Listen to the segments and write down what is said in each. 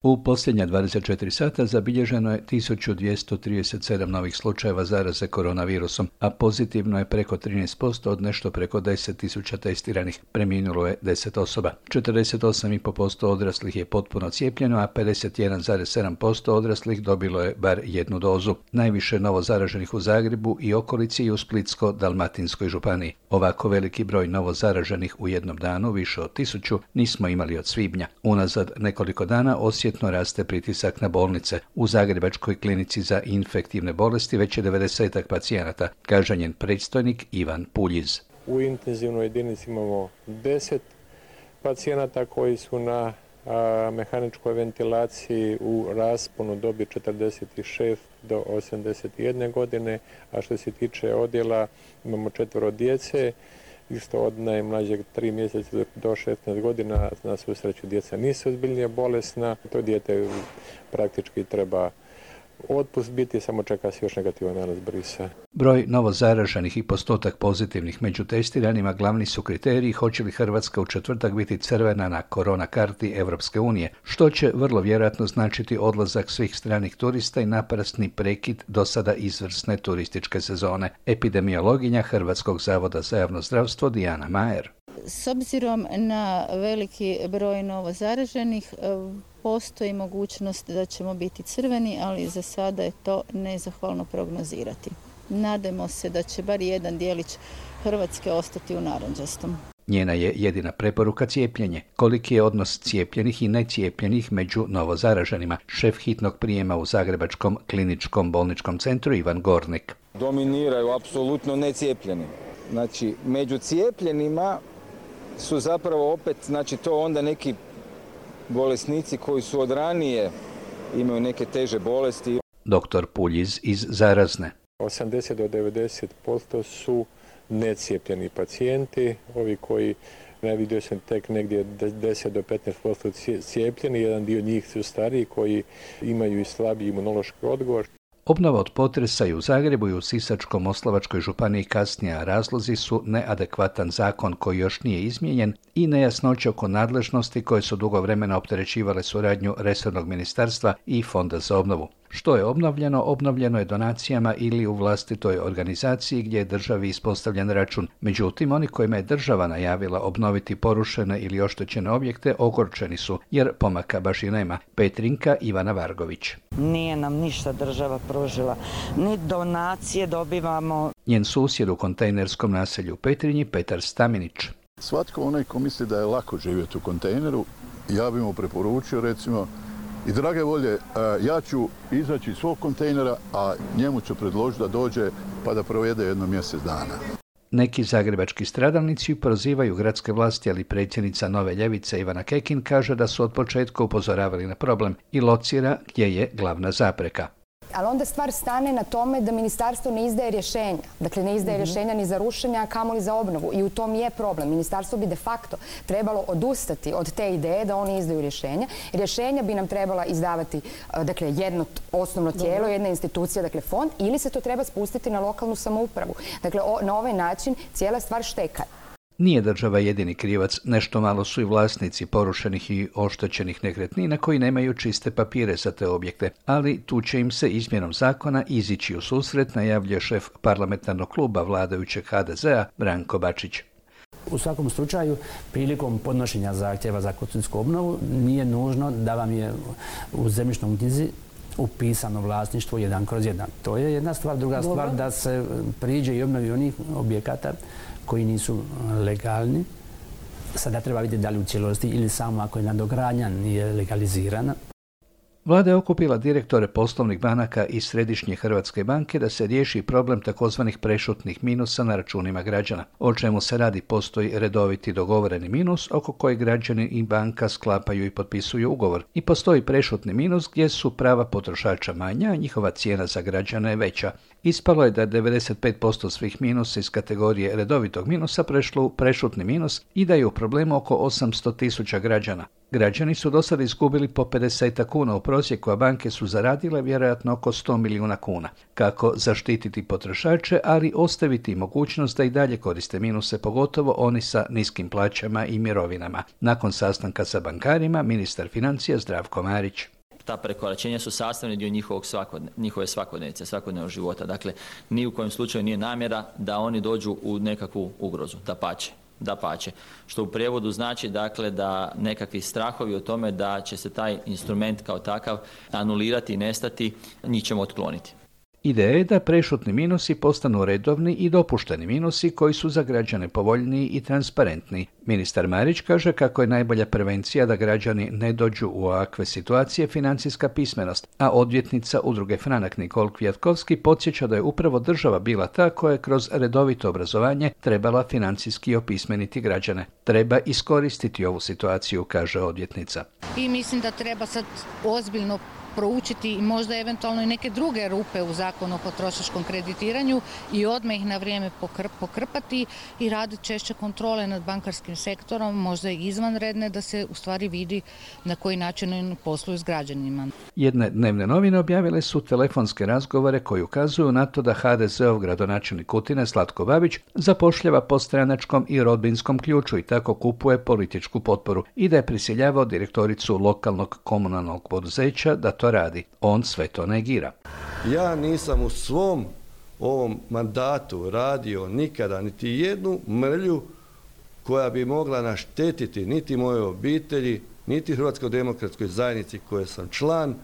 U posljednja 24 sata zabilježeno je 1237 novih slučajeva zaraze koronavirusom, a pozitivno je preko 13% od nešto preko 10.000 testiranih. Preminulo je 10 osoba. 48,5% odraslih je potpuno cijepljeno, a 51,7% odraslih dobilo je bar jednu dozu. Najviše novo zaraženih u Zagrebu i okolici i u Splitsko-dalmatinskoj županiji. Ovako veliki broj novo zaraženih u jednom danu, više od 1000, nismo imali od svibnja. Unazad nekoliko dana osjetno raste pritisak na bolnice. U Zagrebačkoj klinici za infektivne bolesti već je 90 pacijenata, kaže njen predstojnik Ivan Puljiz. U intenzivnoj jedinici imamo 10 pacijenata koji su na mehaničkoj ventilaciji u rasponu dobi 46 do 81 godine, a što se tiče odjela imamo 4 djece, isto od najmlađeg 3 mjeseca do 16 godina. Na svu sreću djeca nisu ozbiljnije bolesna, to dijete praktički treba otpust biti, samo čeka se još negativan nalaz brisa. Broj novozaraženih i postotak pozitivnih među testiranima glavni su kriteriji hoće li Hrvatska u četvrtak biti crvena na korona karti Europske unije, što će vrlo vjerojatno značiti odlazak svih stranih turista i naprasni prekid do sada izvrsne turističke sezone. Epidemiologinja Hrvatskog zavoda za javno zdravstvo Dijana Majer. S obzirom na veliki broj novozaraženih, postoji mogućnost da ćemo biti crveni, ali za sada je to nezahvalno prognozirati. Nadajmo se da će bar jedan dijelić Hrvatske ostati u narandžastom. Njena je jedina preporuka cijepljenje. Koliki je odnos cijepljenih i necijepljenih među novozaraženima? Šef hitnog prijema u Zagrebačkom kliničkom bolničkom centru Ivan Gornik. Dominiraju apsolutno necijepljeni. Znači, među cijepljenima su zapravo opet, znači to onda neki bolesnici koji su od ranije imaju neke teže bolesti. Doktor Puljiz iz Zarazne. 80 do 90% su necijepljeni pacijenti, ovi koji vidio sam tek negdje 10 do 15% cijepljeni, jedan dio njih su stariji koji imaju i slabiji imunološki odgovor. Obnova od potresa i u Zagrebu i u Sisačko-moslavačkoj županiji kasnije, a razlozi su neadekvatan zakon koji još nije izmijenjen i nejasnoće oko nadležnosti koje su dugo vremena opterećivale suradnju resornog ministarstva i Fonda za obnovu. Što je obnovljeno? Obnovljeno je donacijama ili u vlastitoj organizaciji gdje je državi ispostavljen račun. Međutim, oni kojima je država najavila obnoviti porušene ili oštećene objekte ogorčeni su, jer pomaka baš i nema. Petrinka Ivana Vargović. Nije nam ništa država pružila, ni donacije dobivamo. Njen susjed u kontejnerskom naselju u Petrinji, Petar Staminić. Svatko onaj ko misli da je lako živjeti u kontejneru, ja bih mu preporučio recimo i drage volje, ja ću izaći iz svog kontejnera, a njemu ću predložiti da dođe pa da provede jedno mjesec dana. Neki zagrebački stradalnici prozivaju gradske vlasti, ali predsjednica Nove ljevice Ivana Kekin kaže da su od početka upozoravali na problem i locira gdje je glavna zapreka. Ali onda stvar stane na tome da ministarstvo ne izdaje rješenja. Dakle, ne izdaje rješenja ni za rušenja, a kamoli za obnovu. I u tom je problem. Ministarstvo bi de facto trebalo odustati od te ideje da oni izdaju rješenja. Rješenja bi nam trebala izdavati dakle, jedno osnovno tijelo, jedna institucija, dakle fond, ili se to treba spustiti na lokalnu samoupravu. Dakle, na ovaj način cijela stvar šteka. Nije država jedini krivac, nešto malo su i vlasnici porušenih i oštećenih nekretnina koji nemaju čiste papire za te objekte, ali tu će im se izmjenom zakona izići u susret, najavljuje šef parlamentarnog kluba vladajućeg HDZ-a Branko Bačić. U svakom slučaju, prilikom podnošenja zahtjeva za konstrukcijsku obnovu nije nužno da vam je u zemljišnoj knjizi upisano vlasništvo 1/1. To je jedna stvar. Druga stvar da se priđe i obnovi onih objekata koji nisu legalni. Sada treba vidjeti da li u cijelosti ili samo ako je nadogradnja nije legalizirana. Vlada je okupila direktore poslovnih banaka iz Središnje Hrvatske banke da se riješi problem takozvanih prešutnih minusa na računima građana. O čemu se radi? Postoji redoviti dogovoreni minus oko kojeg građani i banka sklapaju i potpisuju ugovor. I postoji prešutni minus gdje su prava potrošača manja, a njihova cijena za građane je veća. Ispalo je da 95% svih minusa iz kategorije redovitog minusa prešlo u prešutni minus i da je u problemu oko 800.000 građana. Građani su do sada izgubili po 50 kuna u prosjeku, a banke su zaradile vjerojatno oko 100 milijuna kuna. Kako zaštititi potrošače, ali ostaviti mogućnost da i dalje koriste minuse, pogotovo oni sa niskim plaćama i mirovinama. Nakon sastanka sa bankarima, ministar financija Zdravko Marić. Ta prekoračenja su sastavni dio njihove svakodnevice, svakodnevnog života. Dakle, ni u kojem slučaju nije namjera da oni dođu u nekakvu ugrozu, dapače. Što u prijevodu znači dakle da nekakvi strahovi o tome da će se taj instrument kao takav anulirati i nestati, njih ćemo otkloniti. Ideja je da prešutni minusi postanu redovni i dopušteni minusi koji su za građane povoljniji i transparentniji. Ministar Marić kaže kako je najbolja prevencija da građani ne dođu u ovakve situacije financijska pismenost, a odvjetnica Udruge Franak Nikol Kvjatkovski podsjeća da je upravo država bila ta koja je kroz redovito obrazovanje trebala financijski opismeniti građane. Treba iskoristiti ovu situaciju, kaže odvjetnica. I mislim da treba sad ozbiljno proučiti i možda eventualno i neke druge rupe u zakonu o potrošačkom kreditiranju i odmah ih na vrijeme pokrpati i raditi češće kontrole nad bankarskim sektorom, možda i izvanredne, da se u stvari vidi na koji način oni posluju s građanima. Jedne dnevne novine objavile su telefonske razgovore koji ukazuju na to da HDZ-ov gradonačelnik Kutine Slatko Babić zapošljava po stranačkom i rodbinskom ključu i tako kupuje političku potporu i da je prisiljavao direktoricu lokalnog komunalnog poduzeća da to radi. On sve to negira. Ja nisam u svom ovom mandatu radio nikada niti jednu mrlju koja bi mogla naštetiti niti mojoj obitelji, niti Hrvatskoj demokratskoj zajednici koje sam član,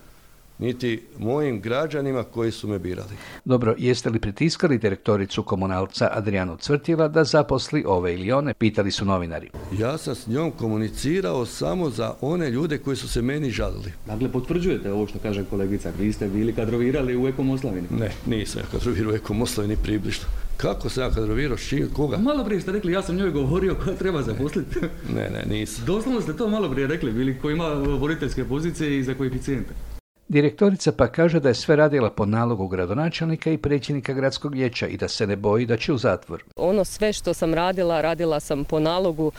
niti mojim građanima koji su me birali. Dobro, jeste li pritiskali direktoricu komunalca Adrijanu Cvrtila da zaposli ove ili one, pitali su novinari. Ja sam s njom komunicirao samo za one ljude koji su se meni žalili. Dakle, potvrđujete ovo što kaže kolegica, vi ste bili kadrovirali u Eko Moslavini? Ne, nisam ja kadrovirao u Eko Moslavini približno. Kako sam ja kadrovirao, koga? Malo prije ste rekli, ja sam njoj govorio koja treba zaposliti. Ne, nisam. Doslovno ste to malo prije rekli, bili koji ima voditeljske pozicije i za koeficijente. Direktorica pa kaže da je sve radila po nalogu gradonačelnika i predsjednika gradskog vijeća i da se ne boji da će u zatvor. Ono sve što sam radila sam po nalogu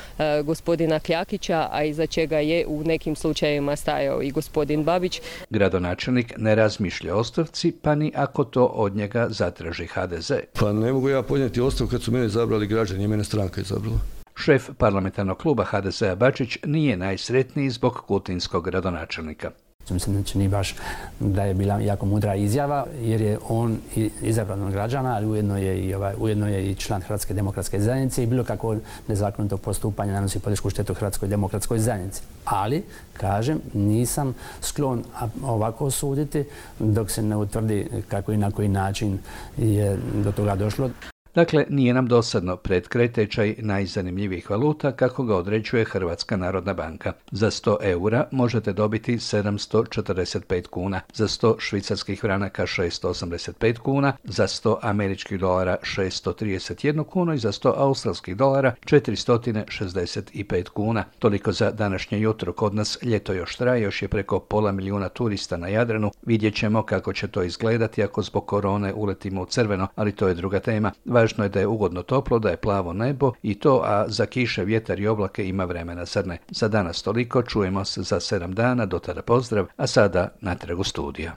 gospodina Kljakića, a iza čega je u nekim slučajevima stajao i gospodin Babić. Gradonačelnik ne razmišlja o ostavci, pa ni ako to od njega zatraži HDZ. Pa ne mogu ja podnijeti ostavku kad su mene izabrali građani i mene stranka izabrala. Šef parlamentarnog kluba HDZ-a Bačić nije najsretniji zbog kutinskog gradonačelnika. Mislim da nije baš da je bila jako mudra izjava, jer je on izabran od građana, ali ujedno je i član Hrvatske demokratske zajednice i bilo kako nezakonito postupanje nanosi političku štetu Hrvatskoj demokratskoj zajednici. Ali, kažem, nisam sklon ovako suditi dok se ne utvrdi kako i na koji način je do toga došlo. Dakle, nije nam dosadno predkraj tečaj najzanimljivijih valuta kako ga određuje Hrvatska narodna banka. Za 100 eura možete dobiti 745 kuna, za 100 švicarskih franaka 685 kuna, za 100 američkih dolara 631 kunu i za 100 australskih dolara 465 kuna. Toliko za današnje jutro. Kod nas ljeto još traje, još je preko 500 milijuna turista na Jadranu. Vidjet ćemo kako će to izgledati ako zbog korone uletimo u crveno, ali to je druga tema. Važno je da je ugodno toplo, da je plavo nebo i to, a za kiše, vjetar i oblake ima vremena, zar ne? Za danas toliko, čujemo se za 7 dana, do tada pozdrav, a sada natrag u studiju.